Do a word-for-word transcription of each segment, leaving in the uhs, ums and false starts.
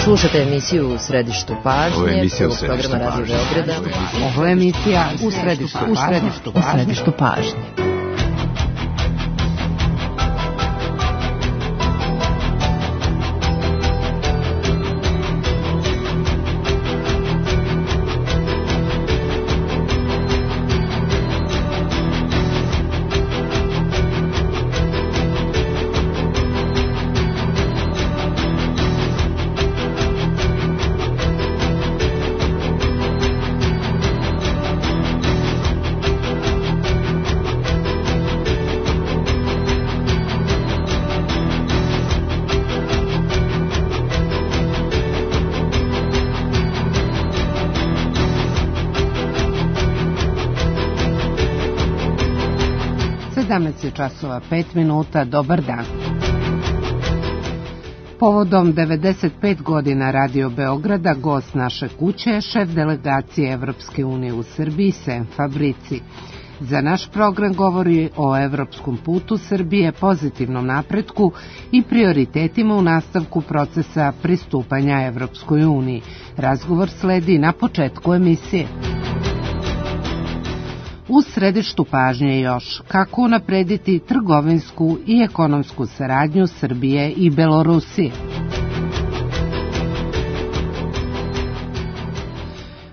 Slušate emisiju U središtu pažnje. Ovo je emisija U središtu pažnje. Radio Beograda. Ovo je emisija U središtu pažnje. U središtu pažnje. sedamnaest časova pet minuta, dobar dan. Povodom devedeset pet godina Radio Beograda, gost naše kuće je šef delegacije Evropske unije u Srbiji, Sem Fabrici. Za naš program govori o evropskom putu Srbije, pozitivnom napretku i prioritetima u nastavku procesa pristupanja Evropskoj uniji. Razgovor sledi na početku emisije. U središtu pažnje još kako unaprediti trgovinsku i ekonomsku saradnju Srbije i Belorusije.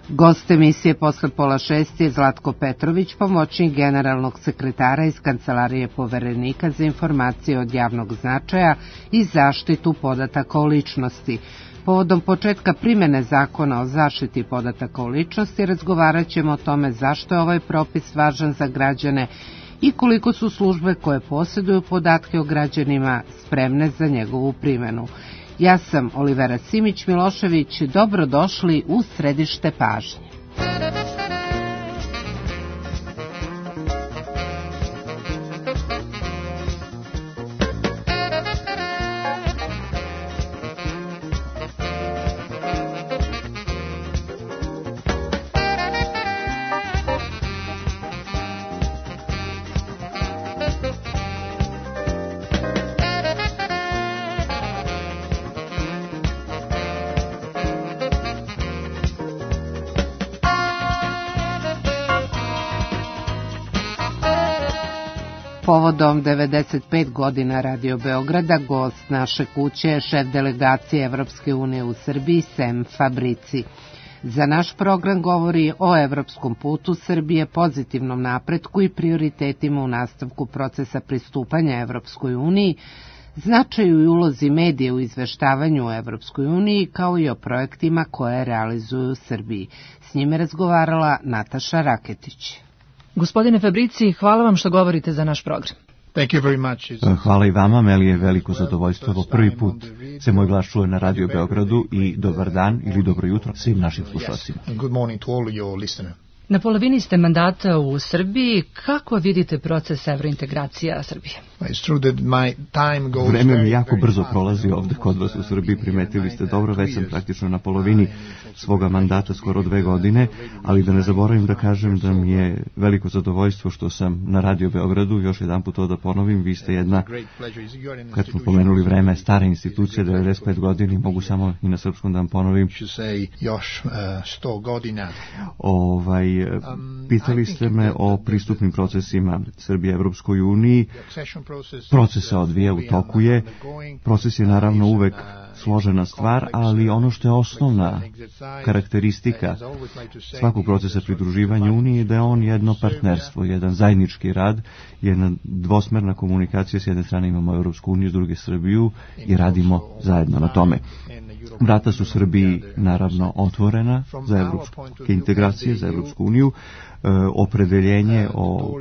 Gost emisije posle pola šest je Zlatko Petrović, pomoćnik generalnog sekretara iz Kancelarije Poverenika za informacije od javnog značaja i zaštitu podataka o ličnosti. Povodom početka primjene zakona o zaštiti podataka o ličnosti razgovarat ćemo o tome zašto je ovaj propis važan za građane i koliko su službe koje posjeduju podatke o građanima spremne za njegovu primjenu. Ja sam Olivera Simić-Milošević, dobrodošli u središte pažnje. Povodom devedeset pet godina Radio Beograda, gost naše kuće je šef delegacije Evropske unije u Srbiji, Sem Fabrici. Za naš program govori o evropskom putu Srbije, pozitivnom napretku i prioritetima u nastavku procesa pristupanja Evropskoj uniji, značaju i ulozi medije u izveštavanju o Evropskoj uniji, kao i o projektima koje realizuju u Srbiji. S njime razgovarala Nataša Raketić. Gospodine Fabrici, hvala vam što govorite za naš program. Hvala i vama, meni je veliko zadovoljstvo. Evo prvi put se moj glas čuje na Radio Beogradu i dobar dan ili dobro jutro svim našim slušalcima. Na polovini ste mandata u Srbiji. Kako vidite proces evrointegracija Srbije? Vreme mi jako brzo prolazi ovde kod vas u Srbiji, primetili ste dobro, već sam praktično na polovini svoga mandata, skoro dve godine, ali da ne zaboravim da kažem da mi je veliko zadovoljstvo što sam na Radio Beogradu, još jedan put to da ponovim, vi ste jedna, kad smo pomenuli vreme, stara institucija, devedeset pet godina, mogu samo i na srpskom da vam ponovim. Još sto godina. Ovaj, pitali ste me o pristupnim procesima Srbije Evropskoj uniji. Proces se odvija, u toku je. Proces je naravno uvek složena stvar, ali ono što je osnovna karakteristika svakog procesa pridruživanja Uniji je da je on jedno partnerstvo, jedan zajednički rad, jedna dvosmerna komunikacija. S jedne strane imamo Evropsku uniju, s druge Srbiju i radimo zajedno na tome. Vrata su Srbiji naravno otvorena za evropske integracije, za Evropsku uniju. E, opredeljenje o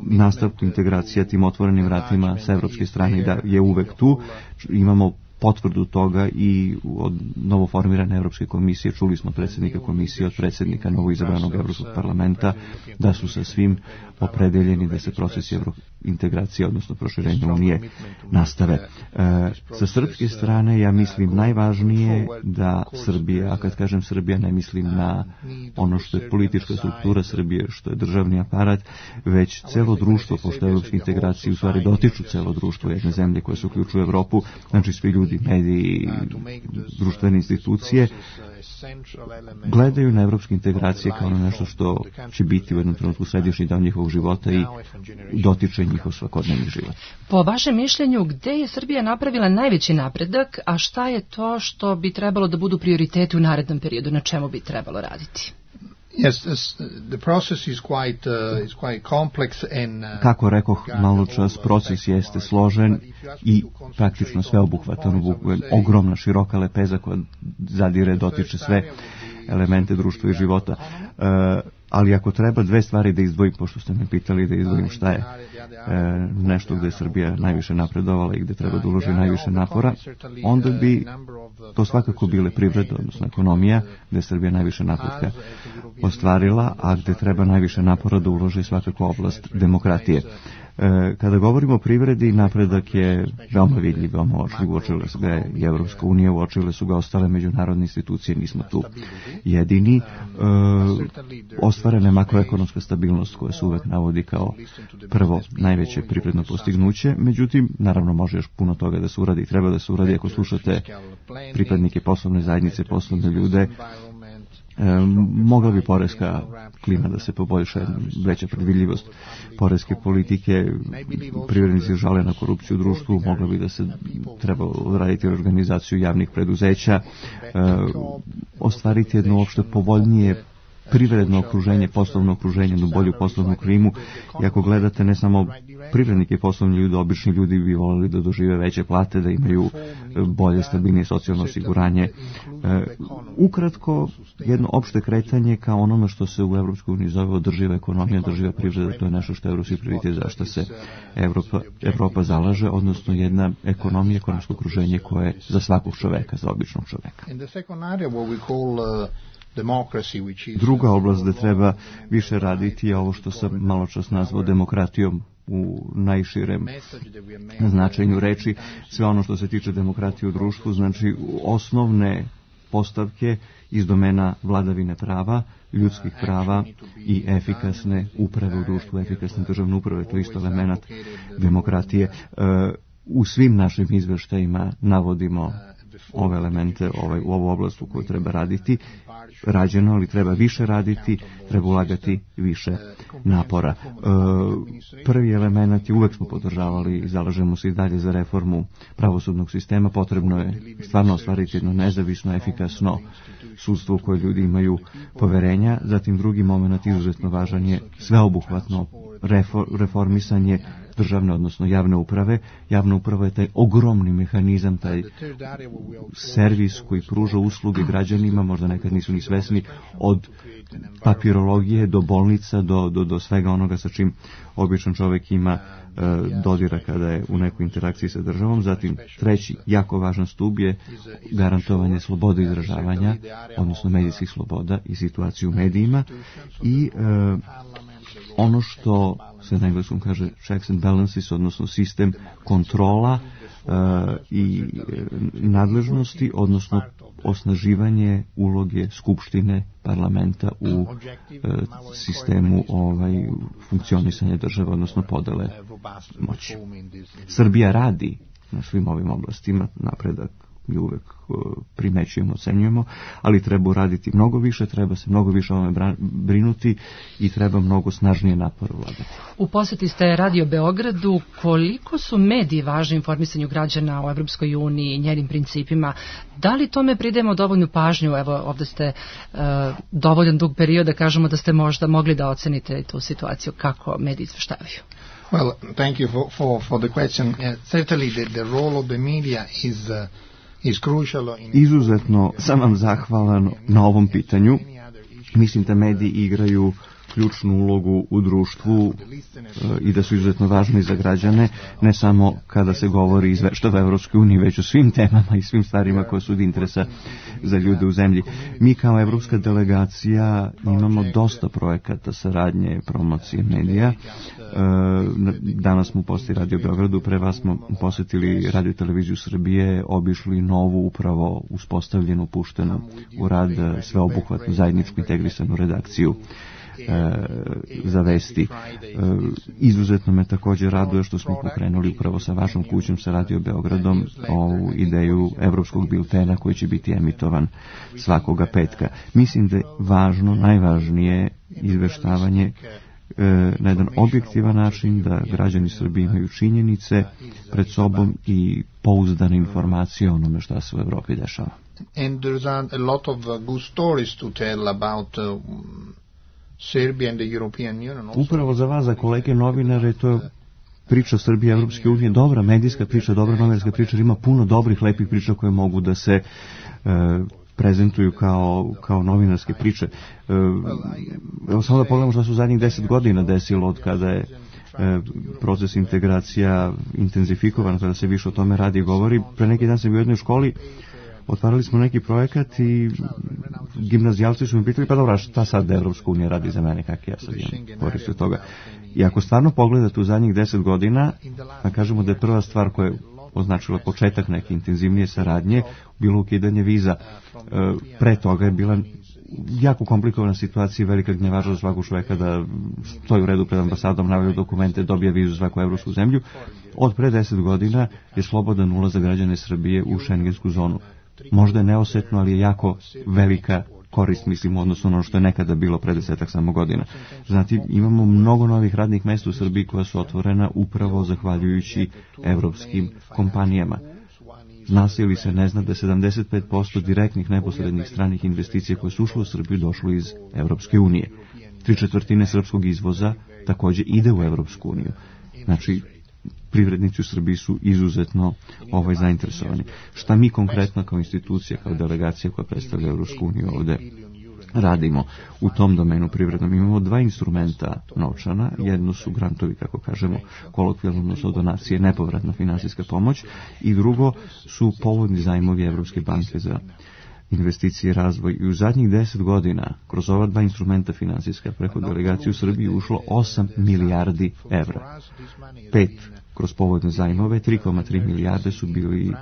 nastavku integracija tim otvorenim vratima sa evropske strane da je uvek tu. Imamo potvrdu toga i od novoformirane Evropske komisije, čuli smo od predsjednika komisije, od predsjednika novoizabranog Evropskog parlamenta, da su sa svim opredeljeni da se procesi integracije, odnosno proširenja Unije, nastave. E, sa srpske strane ja mislim najvažnije da Srbija, a kad kažem Srbija ne mislim na ono što je politička struktura Srbije, što je državni aparat, već celo društvo, pošto evropske integracije u stvari dotiču celo društvo jedne zemlje koje se uključuju u Evropu, znači svi ljudi, mediji, društvene institucije, gledaju na evropske integracije kao na nešto što će biti u jednom trenutku središnji deo njihovog života i dotiče njihov svakodnevni život. Po vašem mišljenju, gde je Srbija napravila najveći napredak, a šta je to što bi trebalo da budu prioriteti u narednom periodu, na čemu bi trebalo raditi? Yes, the process is quite uh, is quite complex and uh, kako rekoh malo čas, proces jeste složen i praktično sveobuhvatan, ogromna široka lepeza koja zadire, dotiče sve elemente društva i života. Uh, ali ako treba dve stvari da izdvojim, pošto ste me pitali da izdvojim šta je e, nešto gde je Srbija najviše napredovala i gde treba da uloži najviše napora, onda bi to svakako bile privreda, odnosno ekonomija, gde je Srbija najviše napretka ostvarila, a gde treba najviše napora da uloži svakako oblast demokratije. E, kada govorimo o privredi, napredak je veoma vidljiv, veoma očljiv, uočile su ga i Evropska unija, uočile su ga ostale međunarodne institucije, nismo tu jedini. E, ostvarena je makroekonomska stabilnost koja se uvek navodi kao prvo najveće privredno postignuće, međutim, naravno može još puno toga da se uradi i treba da se uradi. Ako slušate pripadnike poslovne zajednice, poslovne ljude, E, mogla bi poreska klima da se poboljša, veća predvidljivost poreske politike, privrednici žale na korupciju u društvu, mogla bi da se treba odraditi organizaciju javnih preduzeća, e, ostvariti jedno uopšte povoljnije privredno okruženje, poslovno okruženje, jednu bolju poslovnu klimu. I ako gledate ne samo privrednike i poslovni ljudi, obični ljudi bi volili da dožive veće plate, da imaju bolje, stabilnije socijalno osiguranje. E, ukratko, jedno opšte kretanje kao onome što se u Evropskoj uniji zove održiva ekonomija, održiva privreda, to je nešto što je evropski prioritet, za što se Evropa, Evropa zalaže, odnosno jedna ekonomija, ekonomsko okruženje koje je za svakog čoveka, za običnog čoveka. Druga oblast gde treba više raditi je ovo što sam malo čas nazvao demokratijom u najširem značenju reči. Sve ono što se tiče demokratije u društvu, znači osnovne postavke iz domena vladavine prava, ljudskih prava i efikasne uprave u društvu, efikasne državne uprave, to je isto element demokratije. U svim našim izveštajima navodimo ove elemente, ovaj, u ovu oblast u kojoj treba raditi, rađeno, ali treba više raditi, treba ulagati više napora. E, prvi element je, uvek smo podržavali i zalažemo se i dalje za reformu pravosudnog sistema, potrebno je stvarno ostvariti jedno nezavisno, efikasno sudstvo u koje ljudi imaju poverenja. Zatim drugi moment izuzetno važan je sveobuhvatno reformisanje državne, odnosno javne uprave. Javna uprava je taj ogromni mehanizam, taj servis koji pruža usluge građanima, možda nekad nisu ni svesni, od papirologije do bolnica, do, do, do svega onoga sa čim običan čovjek ima e, dodira kada je u nekoj interakciji sa državom. Zatim treći, jako važan stub je garantovanje slobode izražavanja, odnosno medijskih sloboda i situaciju u medijima i e, ono što se na engleskom kaže checks and balances, odnosno sistem kontrola uh, i nadležnosti, odnosno osnaživanje uloge skupštine parlamenta u uh, sistemu ovaj, funkcionisanja države, odnosno podele moći. Srbija radi na svim ovim oblastima, napredak mi uvek primećujemo, ocenjujemo, ali treba uraditi mnogo više, treba se mnogo više o ovome brinuti i treba mnogo snažnije napor ulagati. U poseti ste Radio Beogradu, koliko su mediji važni informisanju građana o Evropskoj uniji i njenim principima? Da li tome pridemo dovoljnu pažnju? Evo, ovde ste uh, dovoljan dug period da kažemo da ste možda mogli da ocenite tu situaciju, kako mediji izveštavaju. Well, thank you for, for, for the question. Uh, certainly the, the role of the media is uh, Izuzetno sam vam zahvalan na ovom pitanju. Mislim da mediji igraju ključnu ulogu u društvu i da su izuzetno važni za građane, ne samo kada se govori izveštava Evropskoj uniji, već o svim temama i svim stvarima koje su od interesa za ljude u zemlji. Mi kao evropska delegacija imamo dosta projekata saradnje, promocije medija. Danas smo u poseti Radio Beogradu, pre vas smo posetili Radio Televiziju Srbije, obišli novu, upravo uspostavljenu, puštenu u rad sveobuhvatnu, zajedničku, integrisanu redakciju e, za vesti. E, izuzetno me također raduje što smo pokrenuli upravo sa vašom kućom, sa Radio Beogradom, ovu ideju evropskog biltena koji će biti emitovan svakoga petka. Mislim da je važno, najvažnije izveštavanje na jedan objektivan način, da građani Srbije imaju činjenice pred sobom i pouzdane informacije o onome šta se u Evropi dešava. And there's a, a lot of uh, good stories to tell about uh, Serbia and the European Union. Also. Upravo za vas, za kolege novinare, to je priča Srbije i Evropske unije, dobra medijska priča, dobra novinarska priča, ima puno dobrih, lepih priča koje mogu da se uh, prezentuju kao, kao novinarske priče. Evo samo da pogledamo što su zadnjih deset godina desilo od kada je e, proces integracija intenzifikovan, kada se više o tome radi i govori. Pre neki dan sam bio u jednoj školi, otvarali smo neki projekat i gimnazijalci su mi pitali, pa dobra, šta sad Evropska unija radi za mene, kak ja sad imam korist od toga. I ako stvarno pogledate u zadnjih deset godina, da kažemo da je prva stvar koja je označila početak neke intenzivnije saradnje, bilo ukidanje viza. Pre toga je bila jako komplikovana situacija, velika gnjevaža za svakog čoveka da stoji u redu pred ambasadom, navaju dokumente, dobije vizu za svaku evropsku zemlju. Od pre deset godina je slobodan ulaz za građane Srbije u šengensku zonu. Možda je neosetno, ali je jako velika korist, mislim, odnosno ono što je nekada bilo pre desetak samo godina. Znači, imamo mnogo novih radnih mesta u Srbiji koja su otvorena upravo zahvaljujući evropskim kompanijama. Zna se ili se ne zna da sedamdeset pet posto direktnih neposrednih stranih investicija koje su ušle u Srbiju došlo iz Evropske unije. Tri četvrtine srpskog izvoza također ide u Evropsku uniju. Znači, privrednici u Srbiji su izuzetno ovaj, zainteresovani. Šta mi konkretno kao institucija, kao delegacija koja predstavlja Evropsku uniju ovde radimo u tom domenu privrednom? Imamo dva instrumenta novčana. Jedno su grantovi, kako kažemo, kolokvijalno, odnosno donacije, nepovratna finansijska pomoć, i drugo su povoljni zajmovi Evropske banke za investicije i razvoj. I u zadnjih deset godina kroz ova dva instrumenta finansijska preko delegacije u Srbiji ušlo osam milijardi evra. Pet kroz povoljne zajmove, tri zarez tri milijarde su bili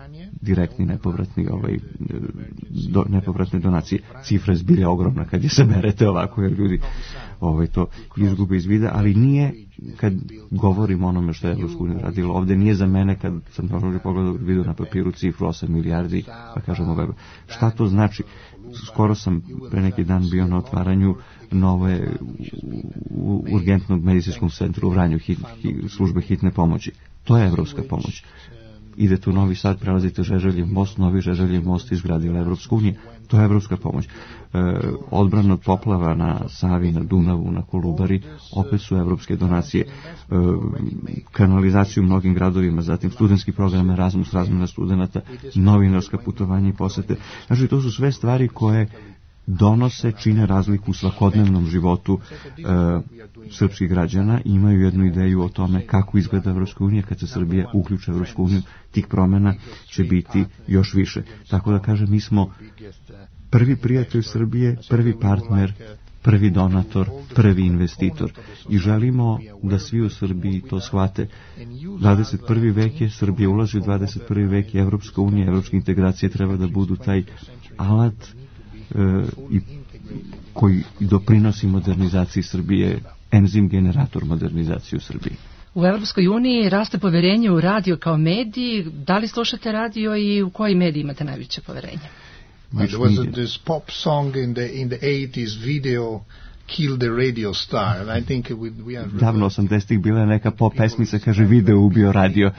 direktni nepovratni ovaj, do, nepovratne donacije. Cifra je zbilja ogromna kad je saberete ovako, jer ljudi ovaj, to izgube iz vida, ali nije, kad govorimo onome što je Evropska unija radila ovde, nije za mene, kad sam dobro pogledao vidio na papiru cifru osam milijardi, pa kažemo ovaj, šta to znači? Skoro sam pre neki dan bio na otvaranju nove urgentnog medicinskog centra u Vranju, hit, hit, službe hitne pomoći. To je evropska pomoć. Idete u Novi Sad, prelazite Žeželjev most, novi Žeželjev most izgradila Evropska unija. To je evropska pomoć. E, odbrana od poplava na Savi, na Dunavu, na Kolubari, opet su evropske donacije. E, kanalizaciju u mnogim gradovima, zatim studentski program Erasmus, razmjena studenata, novinarska putovanja i posete. Znači, to su sve stvari koje donose, čine razliku u svakodnevnom životu e, srpskih građana i imaju jednu ideju o tome kako izgleda Evropska unija. Kad se Srbija uključe u Evropsku uniju, tih promjena će biti još više. Tako da kažem, mi smo prvi prijatelj Srbije, prvi partner, prvi donator, prvi investitor. I želimo da svi u Srbiji to shvate. dvadeset prvi vek je, Srbija ulazi u dvadeset prvi vek, Evropska unija, evropske integracije treba da budu taj alat i koji doprinosi modernizaciji Srbije, enzim generator modernizacije u Srbiji. U Evropskoj uniji raste poverenje u radio kao mediji. Da li slušate radio i u koji mediji imate najveće poverenje? Well, there was a, this pop song in the in the eighties, Video Kill the Radio Star, and I think we, we are... Davno osamdesetih bila je neka pop pesmica, kaže Video ubio radio,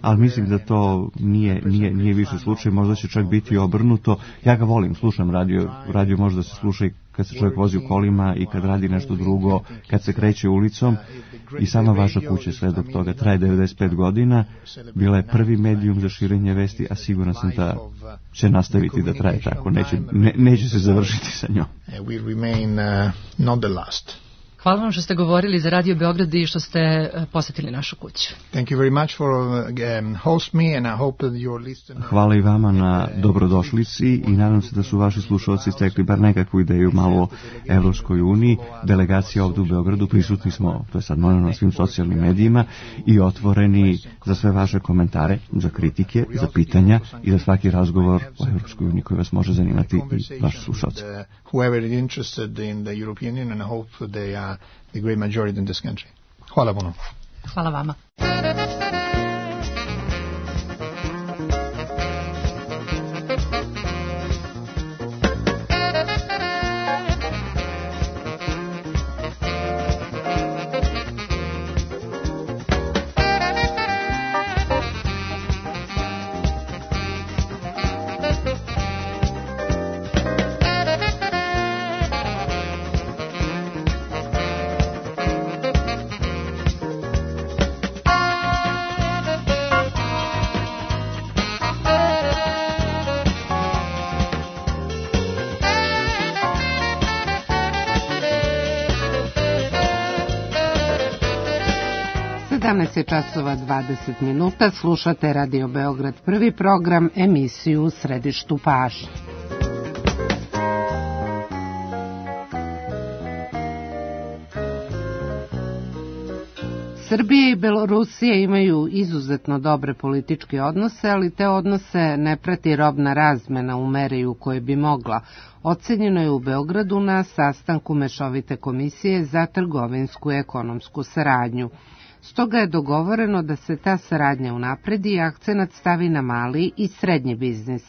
ali mislim da to nije, nije, nije više slučaj, možda će čak biti obrnuto. Ja ga volim, slušam radio, radio može da se sluša i kad se čovjek vozi u kolima i kad radi nešto drugo, kad se kreće ulicom, i sama vaša kuća sve dok toga traje devedeset pet godina, bila je prvi medijum za širenje vesti, a siguran sam da će nastaviti da traje tako, neće, ne, neće se završiti sa njom. We remain uh, not the last. Hvala vam što ste govorili za Radio Beograd i što ste posetili našu kuću. Thank you very much for um, host me and I hope that your listeners... Hvala i vama na dobrodošlici i nadam se da su vaši slušalci stekli bar nekakvu ideju malo o Evropskoj uniji. Delegacija ovdje u Beogradu, prisutni smo, to je sad možemo na svim socijalnim medijima i otvoreni za sve vaše komentare, za kritike, za pitanja i za svaki razgovor o Evropskoj uniji koji vas može zanimati i vaši slušalci. Whoever is interested in the European Union and I hope they are the great majority in this country. Hvala puno. Hvala vama. sedamnaest časova dvadeset minuta, slušate Radio Beograd, prvi program, emisiju u središtu pažnje. Srbija i Belorusija imaju izuzetno dobre političke odnose, ali te odnose ne prati robna razmena u meri u kojoj bi mogla. Ocenjeno je u Beogradu na sastanku Mešovite komisije za trgovinsku i ekonomsku saradnju. Stoga je dogovoreno da se ta saradnja unapredi i akcenat stavi na mali i srednji biznis.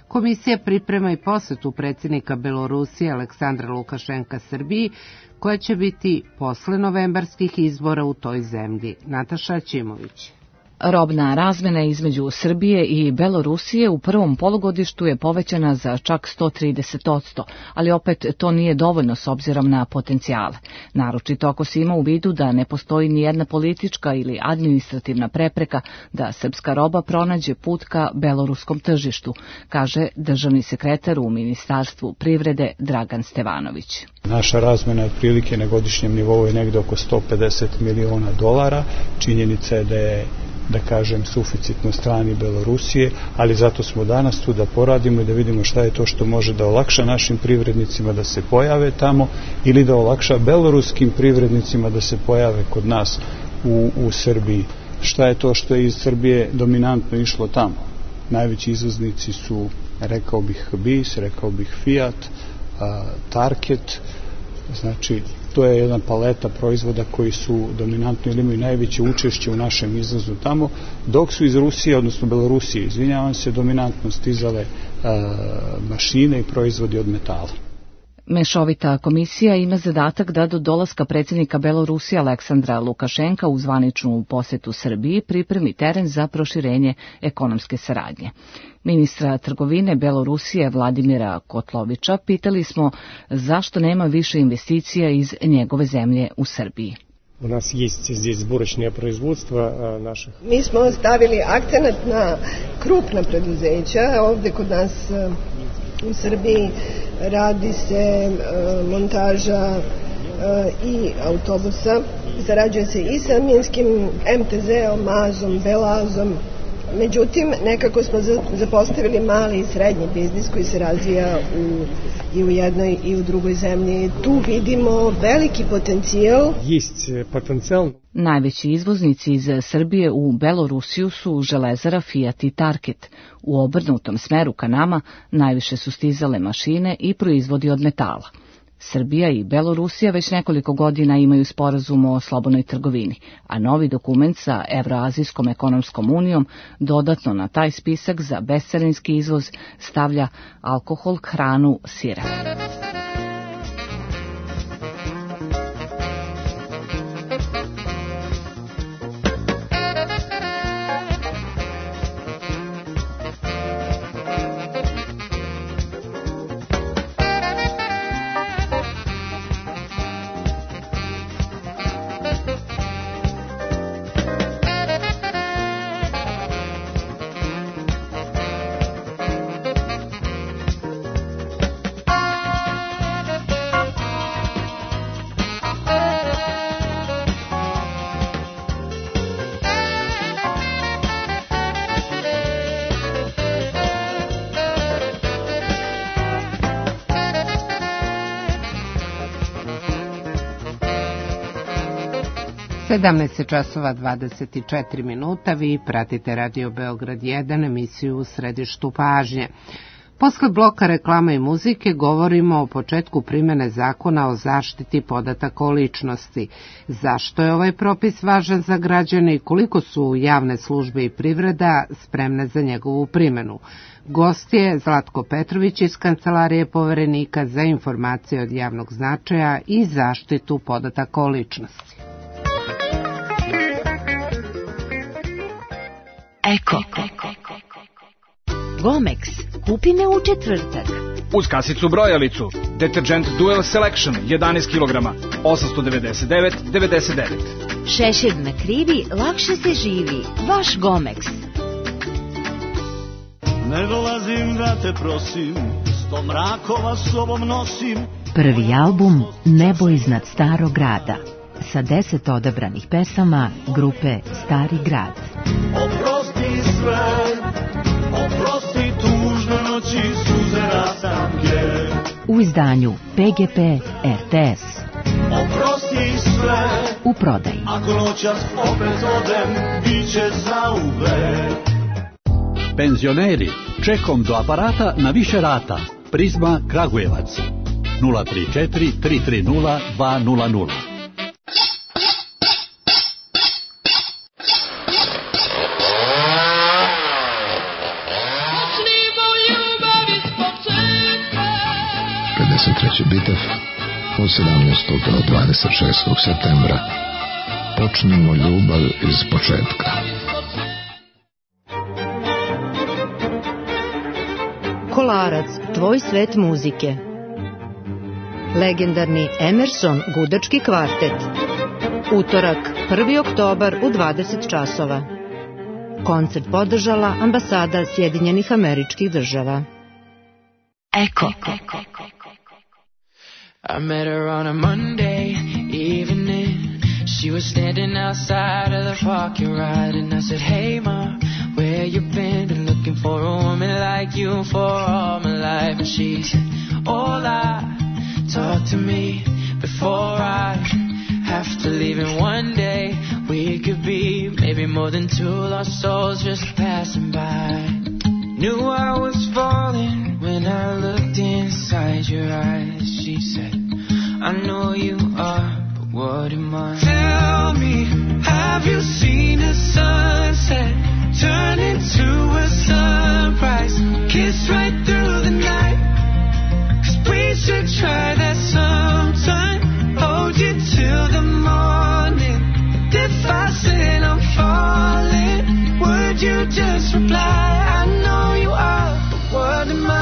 Komisija priprema i posetu predsjednika Belorusije Aleksandra Lukašenka Srbiji, koja će biti posle novembarskih izbora u toj zemlji. Nataša Ćimović. Robna razmena između Srbije i Belorusije u prvom polugodištu je povećana za čak sto trideset posto, ali opet to nije dovoljno s obzirom na potencijale. Naročito ako se ima u vidu da ne postoji ni jedna politička ili administrativna prepreka da srpska roba pronađe put ka beloruskom tržištu, kaže državni sekretar u Ministarstvu privrede Dragan Stevanović. Naša razmena otprilike na godišnjem nivou je negde oko sto pedeset miliona dolara. Činjenica je da je, da kažem, suficit na strani Belorusije, ali zato smo danas tu da poradimo i da vidimo šta je to što može da olakša našim privrednicima da se pojave tamo ili da olakša beloruskim privrednicima da se pojave kod nas u, u Srbiji. Šta je to što je iz Srbije dominantno išlo tamo? Najveći izvoznici su, rekao bih, B I S, rekao bih Fiat, Target, znači to je jedna paleta proizvoda koji su dominantno ili imaju najveće učešće u našem izvozu tamo, dok su iz Rusije, odnosno Belorusije, izvinjavam se, dominantno stizale a, mašine i proizvodi od metala. Mešovita komisija ima zadatak da do dolaska predsjednika Belorusije Aleksandra Lukašenka u zvaničnu posetu Srbiji pripremi teren za proširenje ekonomske saradnje. Ministra trgovine Belorusije Vladimira Kotlovića pitali smo zašto nema više investicija iz njegove zemlje u Srbiji. У нас есть здесь сборочное производство наших. Mi smo stavili akcenat na krupna preduzeća. Ovdje kod nas u Srbiji radi se montaža i autobusa. Zarađuje se i sa minskim em te zeom, mazom, belazom. Međutim, nekako smo zapostavili mali i srednji biznis koji se razvija u, i u jednoj i u drugoj zemlji. Tu vidimo veliki potencijal. Jest potencijal. Najveći izvoznici iz Srbije u Belorusiju su Železara, Fiat i Target. U obrnutom smeru ka nama najviše su stizale mašine i proizvodi od metala. Srbija i Belorusija već nekoliko godina imaju sporazum o slobodnoj trgovini, a novi dokument sa Evroazijskom ekonomskom unijom dodatno na taj spisak za bescarinski izvoz stavlja alkohol, hranu, sire. sedamnaest časova dvadeset četiri minuta, vi pratite Radio Beograd jedan, emisiju U središtu pažnje. Posle bloka reklama i muzike govorimo o početku primjene zakona o zaštiti podataka o ličnosti. Zašto je ovaj propis važan za građane i koliko su javne službe i privreda spremne za njegovu primjenu? Gost je Zlatko Petrović iz Kancelarije Poverenika za informacije od javnog značaja i zaštitu podataka o ličnosti. Eko. Gomex. Kupi me u četvrtak. Uz kasicu brojalicu. Detergent Dual Selection jedanaest kilograma. osamsto devedeset devet devedeset devet. Šešir na krivi, lakše se živi. Vaš Gomex. Ne dolazim da te prosim, sto mrakova sobom nosim. Prvi album Nebo iznad starog grada sa deset odabranih pesama grupe Stari grad. Oprosti sve, oprosti tužne noći, suze rastanke. U izdanju P G P R T S. Oprosti sve, u prodaji. Ako noćas opet odem, bit će zauvek. Penzioneri, čekom do aparata na više rata. Prizma Kragujevac. nula tri četiri tri tri nula dva nula nula. pedeset treći Bitev od sedamnaestog do dvadeset šestog septembra. Počnimo ljubav iz početka. Kolarac, tvoj svet muzike. Legendarni Emerson gudački kvartet. Utorak, prvi oktobar u dvadeset časova. Koncert podržala ambasada Sjedinjenih Američkih Država. Eko. I met her on a Monday evening. She was standing outside of the parking lot, and I said, hey ma, where you been? Been looking for a woman like you for all my life. And she said, hola, talk to me before I have to leave. And one day we could be maybe more than two lost souls just passing by. Knew I was falling when I looked inside your eyes. She said, I know you are, but what am I? Tell me, have you seen a sunset turn into a sunrise? Kiss right through the night. 'Cause we should try that sometime. Hold you till the morning. And if I said I'm falling, would you just reply? I know you are, but what am I?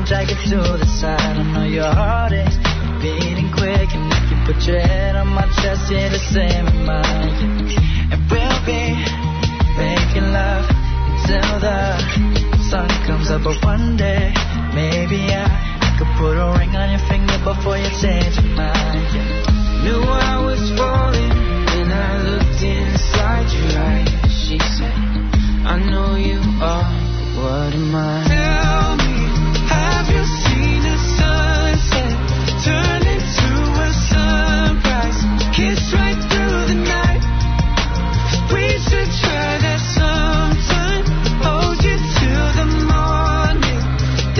Jacket to the side, I know your heart is beating quick, and if you put your head on my chest, you're the same as mine. And we'll be making love until the sun comes up, but one day maybe I could put a ring on your finger before you change your mind. Yeah. Knew I was falling when I looked inside your eyes. She said, I know you are, but what am I? Tell me, have you seen a sunset turn into a sunrise? Kiss right through the night. We should try that sometime. Hold you till the morning.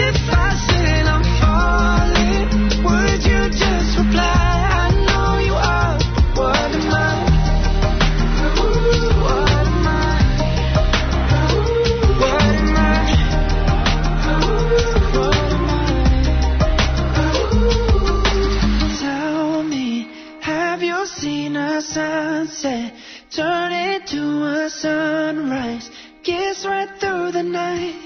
If I said I'm falling, would you just reply? I know you are, but what am I? What am I? What am I? Seen a sunset turn into a sunrise, kiss right through the night.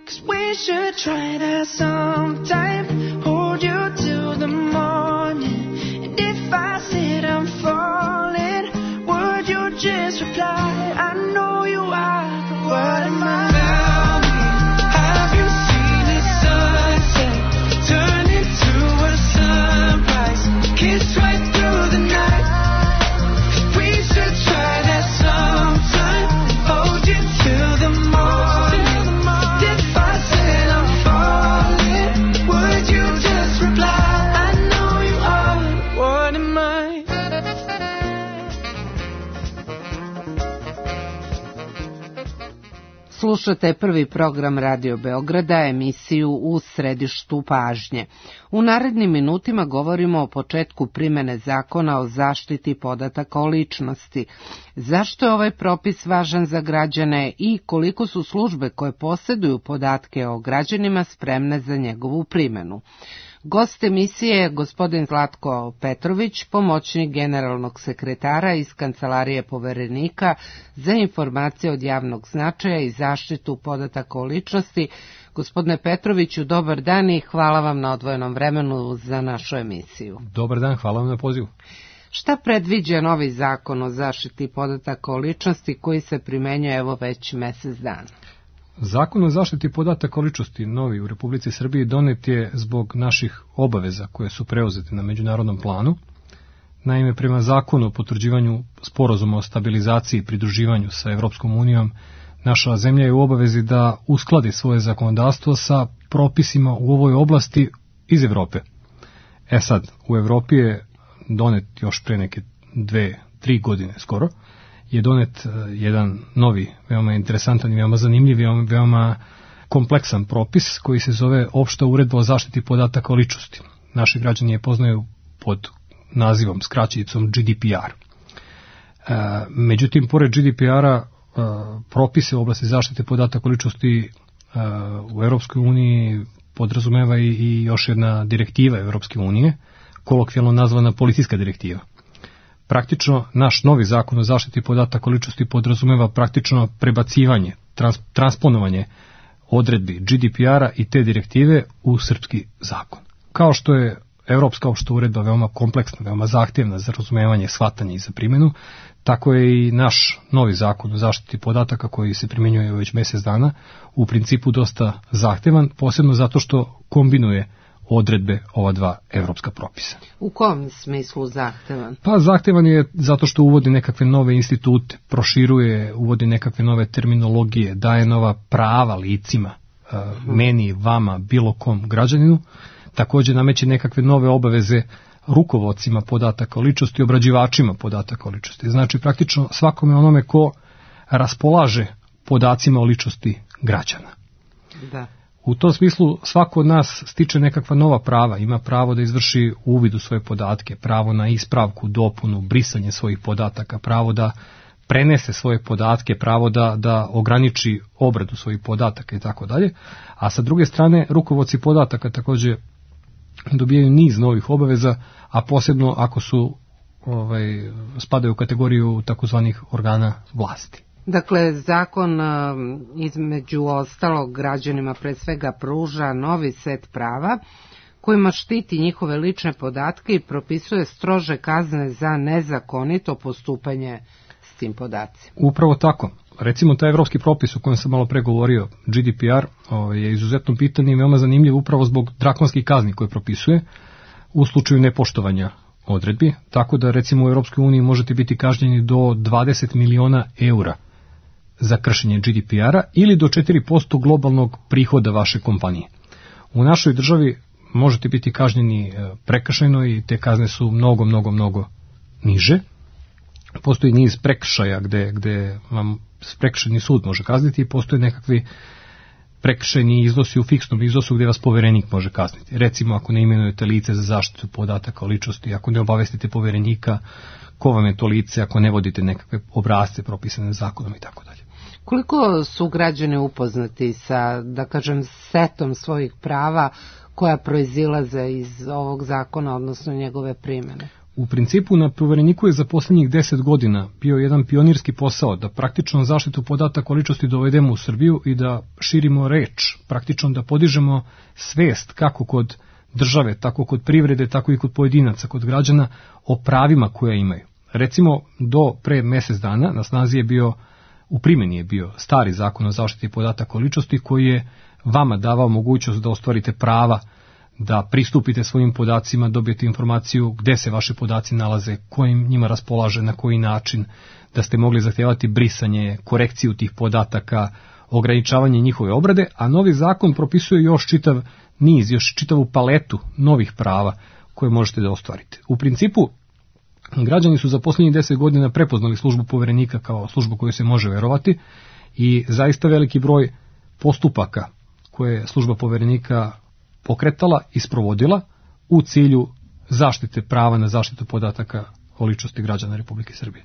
'Cause we should try that sometime. Hold you till the morning. And if I said I'm falling, would you just reply? I know you are, but what am I? Tell me, have you seen a sunset turn into a sunrise, kiss right through the night? Slušate prvi program Radio Beograda, emisiju U središtu pažnje. U narednim minutima govorimo o početku primene zakona o zaštiti podataka o ličnosti. Zašto je ovaj propis važan za građane i koliko su službe koje posjeduju podatke o građanima spremne za njegovu primjenu? Gost emisije je gospodin Zlatko Petrović, pomoćnik generalnog sekretara iz Kancelarije poverenika za informacije od javnog značaja i zaštitu podataka o ličnosti. Gospodine Petroviću, dobar dan i hvala vam na odvojenom vremenu za našu emisiju. Dobar dan, hvala vam na pozivu. Šta predviđa novi zakon o zaštiti podataka o ličnosti koji se primenjuje evo već mjesec dana? Zakon o zaštiti podataka o ličnosti, novi u Republici Srbiji, donet je zbog naših obaveza koje su preuzete na međunarodnom planu. Naime, prema zakonu o potvrđivanju sporazuma o stabilizaciji i pridruživanju sa Evropskom unijom, naša zemlja je u obavezi da uskladi svoje zakonodavstvo sa propisima u ovoj oblasti iz Evrope. E sad, u Evropi je donet još pre neke dve, tri godine skoro, je donet jedan novi, veoma interesantan i veoma zanimljiv, veoma, veoma kompleksan propis koji se zove Opšta uredba o zaštiti podataka o ličnosti. Naši građani je poznaju pod nazivom, skraćenicom G D P R. E, međutim, pored G D P R-a, e, propise u oblasti zaštite podataka o ličnosti e, u Europskoj uniji podrazumeva i, i još jedna direktiva Europske unije, kolokvijalno nazvana policijska direktiva. Praktično, naš novi zakon o zaštiti podataka o ličnosti podrazumeva praktično prebacivanje, trans, transponovanje odredbi G D P R-a i te direktive u srpski zakon. Kao što je Evropska opšta uredba veoma kompleksna, veoma zahtjevna za razumevanje, shvatanje i za primjenu, tako je i naš novi zakon o zaštiti podataka koji se primjenjuje već mjesec dana u principu dosta zahtjevan, posebno zato što kombinuje odredbe ova dva evropska propisa. U kom smislu zahtevan? Pa zahtevan je zato što uvodi nekakve nove institute, proširuje, uvodi nekakve nove terminologije, daje nova prava licima, uh-huh. meni, vama, bilo kom građaninu, također nameće nekakve nove obaveze rukovodcima podataka o ličnosti i obrađivačima podataka o ličnosti. Znači praktično svakome onome ko raspolaže podacima o ličnosti građana. Da. U tom smislu svako od nas stiče nekakva nova prava, ima pravo da izvrši uvid u svoje podatke, pravo na ispravku, dopunu, brisanje svojih podataka, pravo da prenese svoje podatke, pravo da, da ograniči obradu svojih podataka i tako dalje. A sa druge strane, rukovodci podataka također dobijaju niz novih obaveza, a posebno ako su ovaj, spadaju u kategoriju takozvanih organa vlasti. Dakle, zakon između ostalog građanima pre svega pruža novi set prava kojima štiti njihove lične podatke i propisuje strože kazne za nezakonito postupanje s tim podacima. Upravo tako. Recimo, taj evropski propis o kojem sam malo pre govorio, G D P R, je izuzetno bitan i veoma zanimljiv upravo zbog drakonskih kazni koje propisuje u slučaju nepoštovanja odredbi, tako da recimo u Europskoj uniji možete biti kažnjeni do dvadeset miliona eura za kršenje G D P R-a ili do četiri posto globalnog prihoda vaše kompanije. U našoj državi možete biti kažnjeni prekršajno i te kazne su mnogo, mnogo, mnogo niže. Postoji niz prekršaja gde, gde vam prekršajni sud može kazniti i postoje nekakvi prekršajni iznosi u fiksnom iznosu gdje vas poverenik može kazniti. Recimo ako ne imenujete lice za zaštitu podataka o ličnosti, ako ne obavestite poverenika ko vam je to lice, ako ne vodite nekakve obrasce propisane zakonom i tako dalje. Koliko su građani upoznati sa, da kažem, setom svojih prava koja proizilaze iz ovog zakona, odnosno njegove primjene? U principu na povereniku je za posljednjih deset godina bio jedan pionirski posao da praktično zaštitu podataka o ličnosti dovedemo u Srbiju i da širimo reč, praktično da podižemo svest kako kod države, tako kod privrede, tako i kod pojedinaca, kod građana o pravima koje imaju. Recimo, do pre mjesec dana na snazi je bio, u primjeni je bio stari zakon o zaštiti podataka o ličnosti koji je vama davao mogućnost da ostvarite prava, da pristupite svojim podacima, dobijete informaciju gde se vaši podaci nalaze, kojim njima raspolaže, na koji način, da ste mogli zahtijevati brisanje, korekciju tih podataka, ograničavanje njihove obrade, a novi zakon propisuje još čitav niz, još čitavu paletu novih prava koje možete da ostvarite. U principu, građani su za posljednjih deset godina prepoznali službu poverenika kao službu koju se može verovati I zaista veliki broj postupaka koje je služba poverenika pokretala i sprovodila u cilju zaštite prava na zaštitu podataka o ličnosti građana Republike Srbije.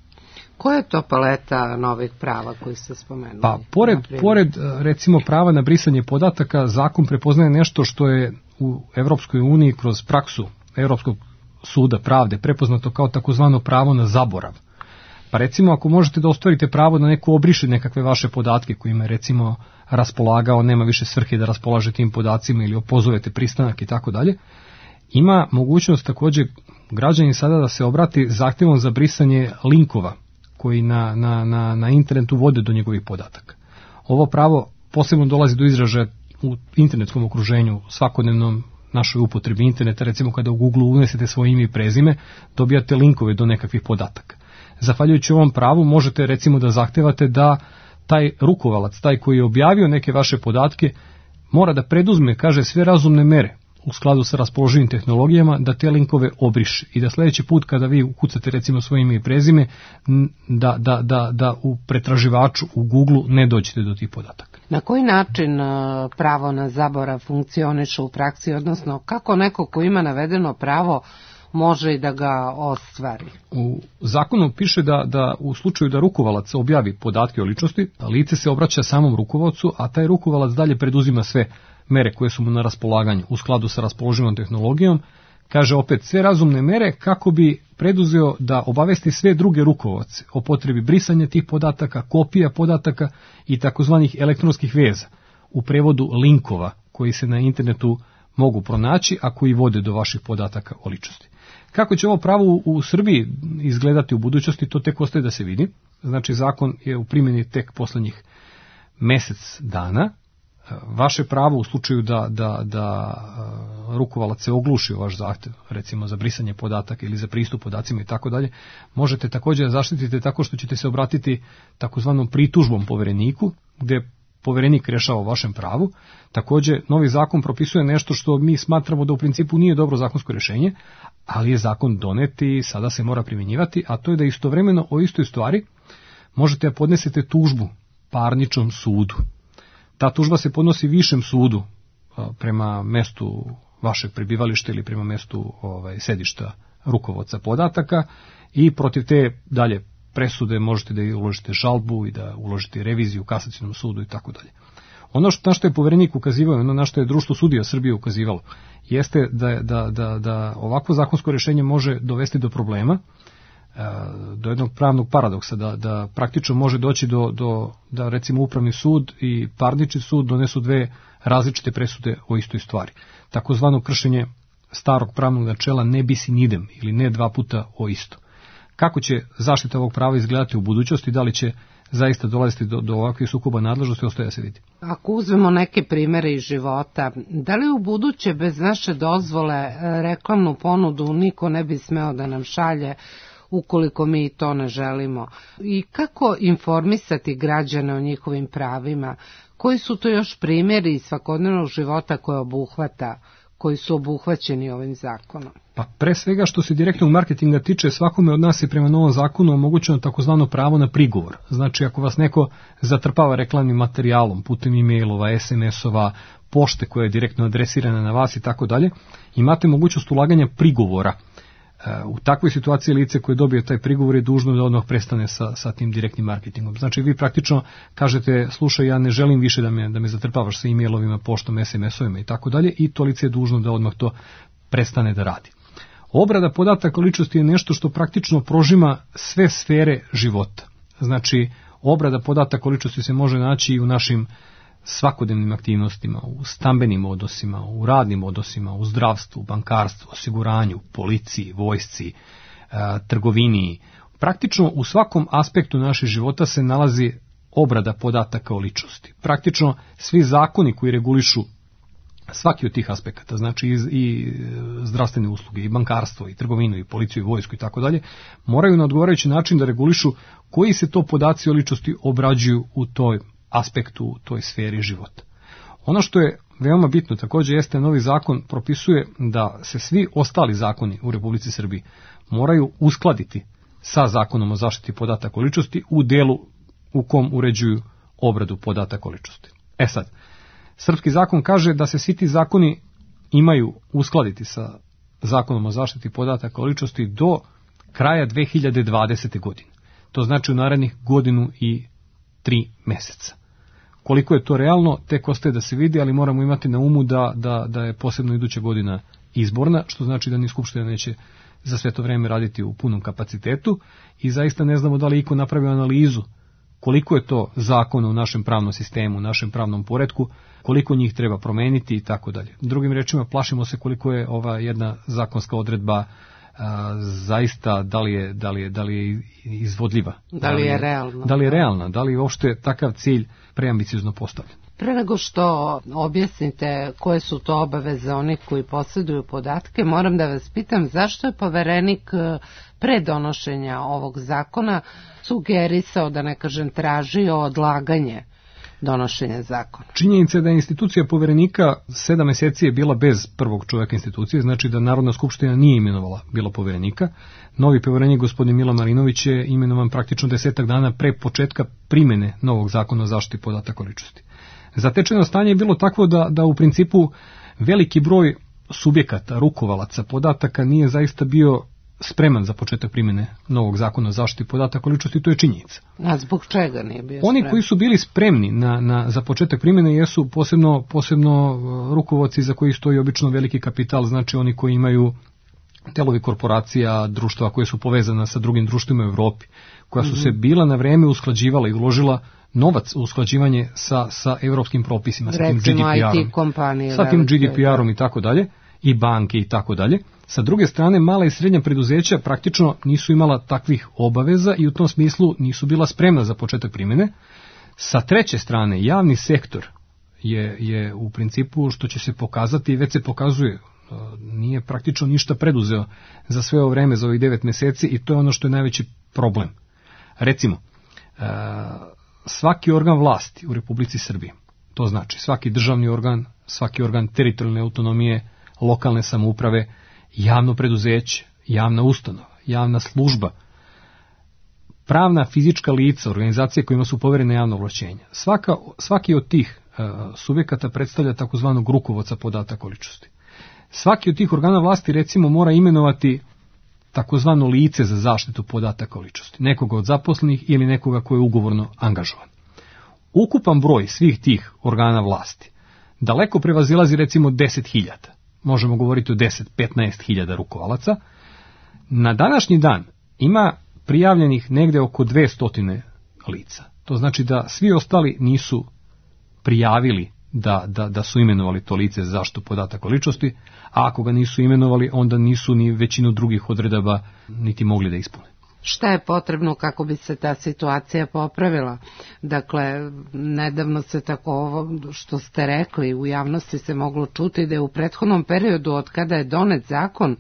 Koja je to paleta novih prava koji ste spomenuli? Pa, pored, pored recimo prava na brisanje podataka, zakon prepoznaje nešto što je u Evropskoj uniji kroz praksu Evropskog suda pravde prepoznato kao takozvano pravo na zaborav. Pa recimo ako možete da ostvarite pravo da neko obriše nekakve vaše podatke kojima je recimo raspolagao, nema više svrhe da raspolaže tim podacima ili opozovete pristanak i tako dalje, ima mogućnost također građani sada da se obrati zahtjevom za brisanje linkova koji na, na, na, na internetu vode do njegovih podataka. Ovo pravo posebno dolazi do izražaja u internetskom okruženju, svakodnevnom našoj upotrebi interneta, recimo kada u Google unesete svoje ime i prezime, dobijate linkove do nekakvih podataka. Zahvaljujući ovom pravu možete recimo da zahtevate da taj rukovalac, taj koji je objavio neke vaše podatke, mora da preduzme, kaže, sve razumne mere u skladu sa raspoloživim tehnologijama da te linkove obriše i da sljedeći put kada vi ukucate recimo svoje ime i prezime da, da, da, da u pretraživaču u Google ne dođete do tih podataka. Na koji način pravo na zaborav funkcioniše u praksi, odnosno kako neko ko ima navedeno pravo može i da ga ostvari? U zakonu piše da, da u slučaju da rukovalac objavi podatke o ličnosti, lice se obraća samom rukovalcu, a taj rukovalac dalje preduzima sve mere koje su mu na raspolaganju u skladu sa raspoloživom tehnologijom, kaže opet sve razumne mere kako bi preduzeo da obavesti sve druge rukovalce o potrebi brisanja tih podataka, kopija podataka i takozvanih elektronskih veza, u prevodu linkova koji se na internetu mogu pronaći, a koji vode do vaših podataka o ličnosti. Kako će ovo pravo u Srbiji izgledati u budućnosti, to tek ostaje da se vidi. Znači, zakon je u primjeni tek poslednjih mesec dana. Vaše pravo u slučaju da, da, da rukovalac se ogluši o vaš zahtev, recimo za brisanje podataka ili za pristup podacima i tako dalje, možete također zaštititi tako što ćete se obratiti takozvanom pritužbom povereniku, gdje poverenik rješava o vašem pravu. Također, novi zakon propisuje nešto što mi smatramo da u principu nije dobro zakonsko rješenje, ali je zakon donet i sada se mora primjenjivati, a to je da istovremeno o istoj stvari možete da podnesete tužbu parničnom sudu. Ta tužba se podnosi višem sudu prema mestu vašeg prebivališta ili prema mestu ovaj, sedišta rukovodca podataka i protiv te dalje presude možete da uložite žalbu i da uložite reviziju u kasacionom sudu i tako dalje. Ono što, na što je poverenik ukazivao, ono na što je Društvo sudija Srbije ukazivalo, jeste da, da, da, da ovakvo zakonsko rješenje može dovesti do problema, do jednog pravnog paradoksa, da, da praktično može doći do, do, da recimo upravni sud i parnični sud donesu dve različite presude o istoj stvari. Takozvano kršenje starog pravnog načela ne bis in idem ili ne dva puta o isto. Kako će zaštita ovog prava izgledati u budućnosti, da li će zaista dolaziti do, do ovakvih sukoba nadležnosti, ostaje da se vidi. Ako uzmemo neke primere iz života, da li u buduće bez naše dozvole reklamnu ponudu niko ne bi smeo da nam šalje ukoliko mi to ne želimo? I kako informisati građane o njihovim pravima? Koji su to još primjeri iz svakodnevnog života koje obuhvata, koji su obuhvaćeni ovim zakonom? Pa pre svega što se direktnog marketinga tiče, svakome od nas je prema novom zakonu omogućeno takozvano pravo na prigovor. Znači ako vas neko zatrpava reklamnim materijalom putem e-mailova, es em es-ova, pošte koja je direktno adresirana na vas i tako dalje, imate mogućnost ulaganja prigovora. U takvoj situaciji lice koje dobije taj prigovor je dužno da odmah prestane sa, sa tim direktnim marketingom. Znači vi praktično kažete, slušaj, ja ne želim više da me, da me zatrpavaš sa e-mailovima, poštom, es em es-ovima i tako dalje, i to lice je dužno da odmah to prestane da radi. Obrada podataka o ličnosti je nešto što praktično prožima sve sfere života. Znači, obrada podataka o ličnosti se može naći i u našim svakodnevnim aktivnostima, u stambenim odnosima, u radnim odnosima, u zdravstvu, bankarstvu, osiguranju, policiji, vojsci, e, trgovini. Praktično u svakom aspektu našeg života se nalazi obrada podataka o ličnosti. Praktično svi zakoni koji regulišu svaki od tih aspekata, znači i, i zdravstvene usluge, i bankarstvo, i trgovinu, i policiju, i vojsku i tako dalje, moraju na odgovarajući način da regulišu koji se to podaci o ličnosti obrađuju u toj aspektu, u toj sferi života. Ono što je veoma bitno također jeste novi zakon propisuje da se svi ostali zakoni u Republici Srbiji moraju uskladiti sa zakonom o zaštiti podataka o ličnosti u delu u kom uređuju obradu podataka o ličnosti. E sad, srpski zakon kaže da se svi ti zakoni imaju uskladiti sa zakonom o zaštiti podataka o ličnosti do kraja dve hiljade dvadesete. godine. To znači u narednih godinu i tri meseca. Koliko je to realno, tek ostaje da se vidi, ali moramo imati na umu da, da, da je posebno iduća godina izborna, što znači da ni Skupština neće za sve to vreme raditi u punom kapacitetu i zaista ne znamo da li iko napravio analizu koliko je to zakona u našem pravnom sistemu, u našem pravnom poretku, koliko njih treba promeniti i tako dalje. Drugim rečima, plašimo se koliko je ova jedna zakonska odredba a, zaista, da li je, da li je, da li je izvodljiva. Da li je realna. Da li je realna, da li je uopšte takav cilj preambiciozno postavljen. Pre nego što objasnite koje su to obaveze onih koji posjeduju podatke, moram da vas pitam zašto je poverenik pre donošenja ovog zakona sugerisao, da ne kažem tražio, odlaganje donošenja zakona. Činjenica je da je institucija poverenika sedam meseci je bila bez prvog čovjeka institucije, znači da Narodna skupština nije imenovala bilo poverenika. Novi poverenik, gospodin Milo Marinović, je imenovan praktično desetak dana pre početka primjene novog zakona o zaštiti podataka o ličnosti. Zatečeno stanje je bilo takvo da, da u principu veliki broj subjekata, rukovalaca podataka nije zaista bio spreman za početak primjene novog zakona o zaštiti podataka o ličnosti, to je činjenica. A zbog čega nije bio Oni spreman? koji su bili spremni na, na, za početak primjene jesu posebno, posebno rukovodci za koji stoji obično veliki kapital, znači oni koji imaju delovi korporacija, društva koje su povezana sa drugim društvima u Evropi, koja su mm-hmm. se bila na vreme usklađivala i uložila novac u usklađivanje sa, sa evropskim propisima, sa tim G D P R-om, kompanije, sa tim G D P R-om i tako dalje, i banke i tako dalje. Sa druge strane, mala i srednja preduzeća praktično nisu imala takvih obaveza i u tom smislu nisu bila spremna za početak primjene. Sa treće strane, javni sektor je, je u principu, što će se pokazati i već se pokazuje, nije praktično ništa preduzeo za sve ovo vreme, za ovih devet meseci, i to je ono što je najveći problem. Recimo, svaki organ vlasti u Republici Srbiji, to znači svaki državni organ, svaki organ teritorijalne autonomije, lokalne samouprave, javno preduzeće, javna ustanova, javna služba, pravna fizička lica, organizacije kojima su poverene javno ovlašćenja. Svaka, svaki od tih uh, subjekata predstavlja takozvanog rukovodca podataka o ličnosti. Svaki od tih organa vlasti, recimo, mora imenovati takozvano lice za zaštitu podataka o ličnosti, nekoga od zaposlenih ili nekoga koji je ugovorno angažovan. Ukupan broj svih tih organa vlasti daleko prevazilazi recimo deset hiljada. Možemo govoriti o deset do petnaest hiljada rukovalaca. Na današnji dan ima prijavljenih negde oko dvesta lica. To znači da svi ostali nisu prijavili da, da, da su imenovali to lice za zaštitu podataka o ličnosti, a ako ga nisu imenovali, onda nisu ni većinu drugih odredaba niti mogli da ispune. Šta je potrebno kako bi se ta situacija popravila? Dakle, nedavno se tako ovo što ste rekli, u javnosti se moglo čuti da je u prethodnom periodu od kada je donet zakon,